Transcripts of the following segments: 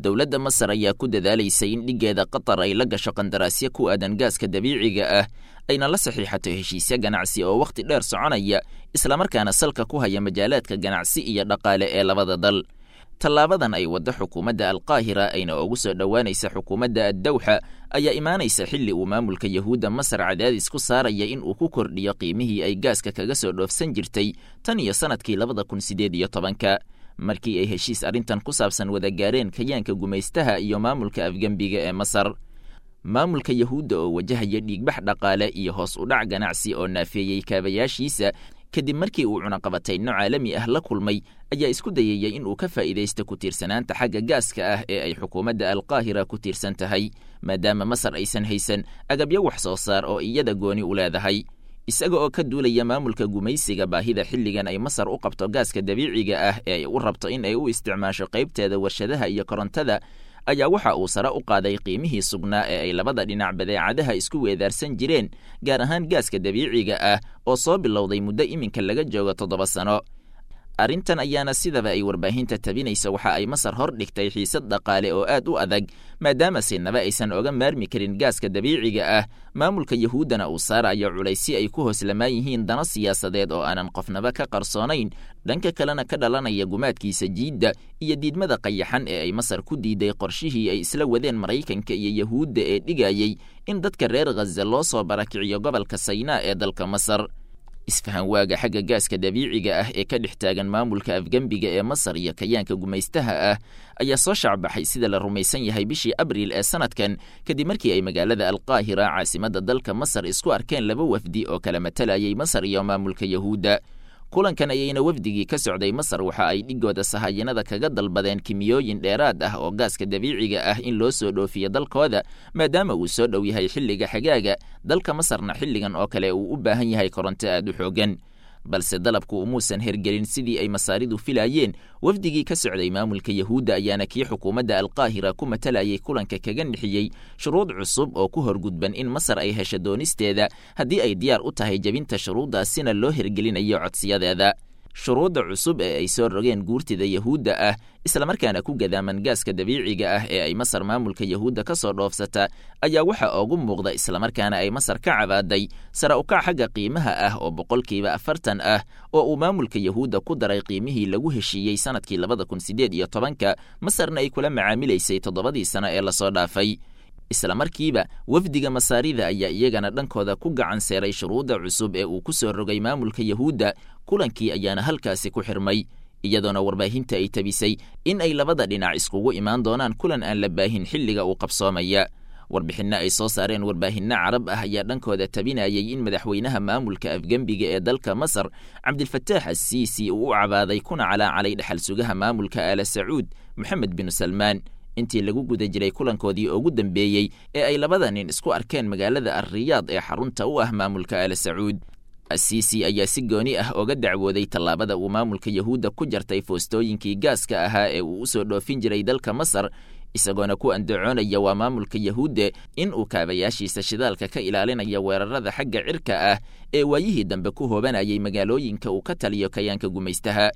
Dowladda Masar ayaa ku dadaalaysay in dhiggeeda Qatar ay la gasho qandaraasyo ku aadan gaaska dabiiciga ah, ayna la saxiixato heshiisyo ganacsi oo wakhti dheer soconaya, islamarkaana salka ku haya majaalaadka ganacsi iyo dhaqaale ee labada dal. Tallaabadan ay waddo xukuumadda Alqaahira ayna ugu soo dhowaanaysa xukuumadda Addawxa ayaa imaanaysa xilli uu maamulka Yahuudda Masar cadaadis ku saaraya in uu ku kordhiyo qiimihii ay gaaska kaga soo dhoofsan jirtay tan iyo sanadkii 2018-ka, markii ay heshiis arrintan ku saabsan wada gaareen kayaanka gumaystaha iyo maamulka afgembiga ee Masar. Maamulka Yahuudda oo wajahaya dhiigbax dhaqaale iyo hoos u dhac ganacsi oo naafeeyey kaabayaashiisa kadib markii uu cunaqabatayno caalami ah la kulmay, ayaa isku dayaya in uu ka faa'iidaysto ku tiirsanaanta xagga gaaska ah ee ay xukuumadda Alqaahira ku tiirsan tahay, maadaama Masar aysan haysan agabyo wax soo saar oo iyada gooni u leedahay. Isaga oo ka duulaya maamulka gumaysiga baahida xilligan ay Masar u qabto gaaska dabiiciga ah ee ay u rabto in ay u isticmaasho qaybteeda warshadaha iyo korontada, ayaa waxa uu sare u qaaday qiimihii sugnaa ee ay labada dhinac badeecadaha isku weedaarsan jireen, gaar ahaan gaaska dabiiciga ah oo soo bilowday muddo iminka laga joogo 7 sano. Arrintan ayaana sidaba ay warbaahinta tabinaysa waxa ay Masar hor dhigtay xiisad dhaqaale oo aad u adag, maadaama sinaba aysan oga maarmi karin gaaska dabiiciga ah, maamulka Yahuuddana uu saarayo culaysyo ay ku hooslamaan yihiin dano siyaasadeed oo aanan qofnaba ka qarsoonayn, dhanka kalena ka dhalanaya gumaadkiisa jiidda iyo diidmada qayaxan ee ay Masar ku diiday qorshihii ay isla wadeen Maraykanka iyo Yahuudda ee dhigayey in dadka reer Ghaza loo soo barakiciyo gobolka Saynaa ee dalka Masar. Isfahan waaga xagga gaaska dabiiciga ah ee ka dhex taagan maamulka afgembiga ee Masar iyo kayaanka gumaystaha ah ayaa soo shacbaxay, sida la rumaysan yahay, bishii Abriil ee sanadkan, kadib markii ay magaalada Alqaahira, caasimadda dalka Masar, isku arkeen laba wafdi oo kala matalayay Masar iyo maamulka Yahuudda. Kulankan ayayna wafdigii ka socday Masar waxa ay dhigooda sahayanada kaga dalbadeen kimiyooyin dheeraad ah oo gaaska dabiiciga ah in loo soo dhoofiyo dalkooda, maadaama uu soo dhow yahay xilliga xagaaga, dalka Masarna xilligan oo kale uu u baahan yahay koronto aad u xoogan. Balse dalabku umuusan hergelin sidii ay Masaaridu filaayeen. Wafdigii ka socday maamulka Yahuudda ayaana kii xukuumadda Alqaahira ku matalayay kulanka kaga nixiyey shuruud cusub oo ku horgudban in Masar ay hesho doonisteeda haddii ay diyaar u tahay jebinta shuruuddaasina loo hergelinayo codsiyadeeda. Shuruudda cusub ee ay soo rogeen guurtida Yahuudda ah, islamarkaana ku gadaaman gaaska dabiiciga ah ee ay Masar maamulka Yahuudda ka soo dhoofsata, ayaa waxa ugu muuqda, islamarkaana ay Masar ka cabaaday, sare ukac xagga qiimaha ah oo 40% ah oo uu maamulka Yahuudda ku daray qiimihii lagu heshiiyey sanadkii 2018-ka, Masarna ay kula macaamilaysay 7dii sano ee lasoo dhaafay. Isla markiiba wafdiga Masaarida ayaa iyagana dhankooda ku gacan seeray shuruudda cusub ee uu ku soo rogay maamulka Yahuudda. Kulankii ayaana halkaasi ku xirmay, iyadoona warbaahinta ay tabisay in ay labada dhinac iskugu imaan doonaan kulan aan la baahin xilliga uu qabsoomaya. Warbixinno ay soo saareen warbaahinno Carab ah ayaa dhankooda tabinayay in madaxweynaha maamulka afgembiga ee dalka Masar, Cabdilfataax Assiisi, uu u cabaaday kuna calaacalay dhexal sugaha maamulka Aala Sacuud, Moxamed bin Salmaan, intii lagu guda jiray kulankoodii ugu dambeeyey ee ay labada nin isku arkeen magaalada Alriyaad ee xarunta u ah maamulka Aala Sacuud. Asiisi ayaa si gooni ah oga dacwooday tallaabada uu maamulka Yahuudda ku jartay foostooyinkii gaaska ahaa ee uu u soo dhoofin jiray dalka Masar, isagoona ku andacoonaya waa maamulka Yahuudda in uu kaabayaashiisa shidaalka ka ilaalinaya weerarada xagga cirka ah ee waayihii dambe ku hoobanayay magaalooyinka uu ka taliyo kayaanka gumaystaha.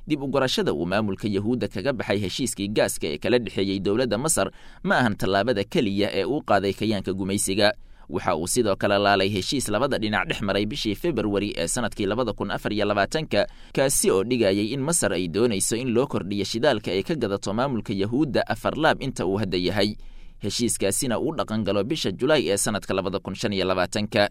Dib u gurashada uu maamulka Yahuudda kaga baxay heshiiskii gaaska ee kala dhexeeyey dowladda Masar ma ahan tallaabada keliya ee uu qaaday kayaanka gumaysiga. Waxa uu sidoo kale laalay heshiis labada dhinac dhex maray bishii Februari ee sanadkii 2024-ka, kaasi oo dhigayay in Masar ay doonayso in loo kordhiyo shidaalka ay ka gadato maamulka Yahuudda afar laab inta uu hadda yahay, heshiiskaasina uu dhaqan galo bisha Julaay ee sanadka 2025-ka.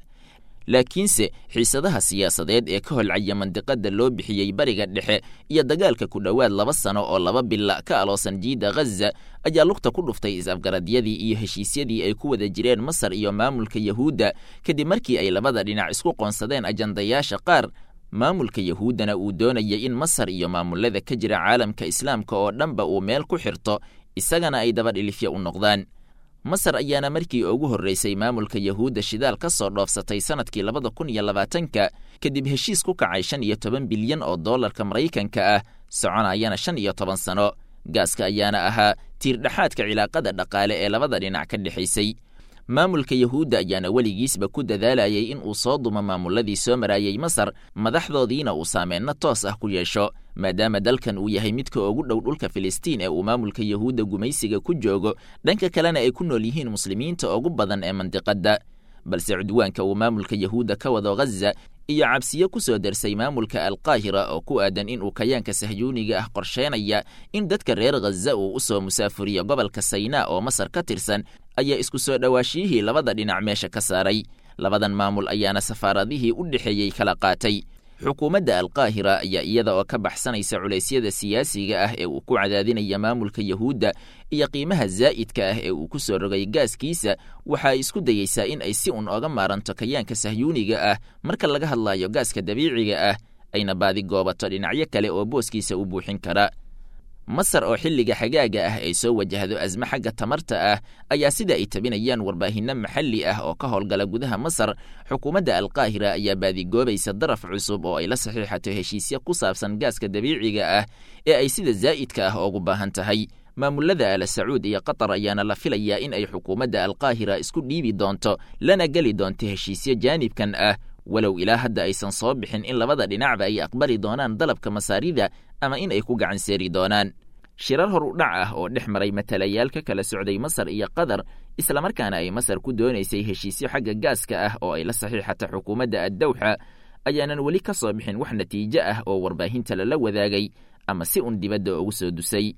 Laakiinse xiisadaha siyaasadeed ee ka holcaya mandiqada loo bixiyey Bariga Dhexe iyo dagaalka ku dhowaad 2 sano oo 2 bila ka aloosan jiidda Ghaza ayaa lugta ku dhuftay is-afgaradyadii iyo heshiisyadii ay ku wada jireen Masar iyo maamulka Yahuudda, kadib markii ay labada dhinac isku qoonsadeen ajandayaasha qaar, maamulka Yahuuddana uu doonaya in Masar iyo maamulada ka jira caalamka Islaamka oo dhanba uu meel ku xirto, isagana ay daba dhilifya u noqdaan. Masar ayaana markii ugu horreysay maamulka Yahuudda shidaal ka soo dhoofsatay sanadkii 2020-ka, kadib heshiis ku kacay 15 bilyan oo dollarka Maraykanka ah, soconayana 15 sano. Gaaska ayaana ahaa tiirdhexaadka cilaaqada dhaqaale ee labada dhinac ka dhexaysay. Maamulka Yahuudda ayaana weligiisba ku dadaalayay in uu soo dumo maamuladii soo maraayay Masar, madaxdoodiina uu saameenno toos ah ku yeesho, maadaama dalkan uu yahay midka ugu dhow dhulka Filistiin ee uu maamulka Yahuudda gumaysiga ku joogo, dhanka kalena ay ku nool yihiin muslimiinta ugu badan ee mandiqadda. Balse cudwaanka uu maamulka Yahuudda ka wado Ghaza iyo cabsiyo ku soo darsay maamulka Alqaahira oo ku aadan in uu kayaanka sahyuuniga ah qorsheynaya in dadka reer Ghaza uu u soo musaafuriyo gobolka Saynaa oo Masar ka tirsan, ayaa isku soo dhowaashiyihii labada dhinac meesha ka saaray. Labadan maamul ayaana safaaradihii u dhexeeyey kala qaatay. Xukuumadda Alqaahira ayaa iyada oo ka baxsanaysa culeysyada siyaasiga ah ee uu ku cadaadinaya maamulka Yahuudda iyo qiimaha zaa'idka ah ee uu ku soo rogay gaaskiisa, waxa ay isku dayeysaa in ay si un oga maaranto kayaanka sahyuuniga ah marka laga hadlayo gaaska dabiiciga ah, ayna baadi goobato dhinacyo kale oo booskiisa u buuxin kara. Masar oo xilliga xagaaga ah ay soo wajahdo asmo xagga tamarta ah ayaa sida ay tabinayaan warbaahinno maxalli ah oo ka howlgala gudaha Masar, xukuumadda Alqaahira ayaa baadigoobaysa daraf cusub oo ay la saxiixato heshiisyo ku saabsan gaaska dabiiciga ah ee ay sida zaa'idka ah ugu baahan tahay. Maamulada Ala Sacuud iyo Qatar ayaana la filayaa in ay xukuumadda Alqaahira isku dhiibi doonto lana geli doonto heshiisyo jaanibkan ah, walow ilaa hadda aysan soo bixin in labada dhinacba ay aqbali doonaan dalabka Masaarida ama in ay ku gacan seeri doonaan. Shirar hor u dhac ah oo dhex maray matalayaal ka kala socday Masar iyo Qatar, islamarkaana ay Masar ku doonaysay heshiisyo xagga gaaska ah oo ay la saxiixata xukuumadda Addawxa, ayaanan weli ka soo bixin wax natiijo ah oo warbaahinta lala wadaagay ama si un dibadda ugu soo dusay.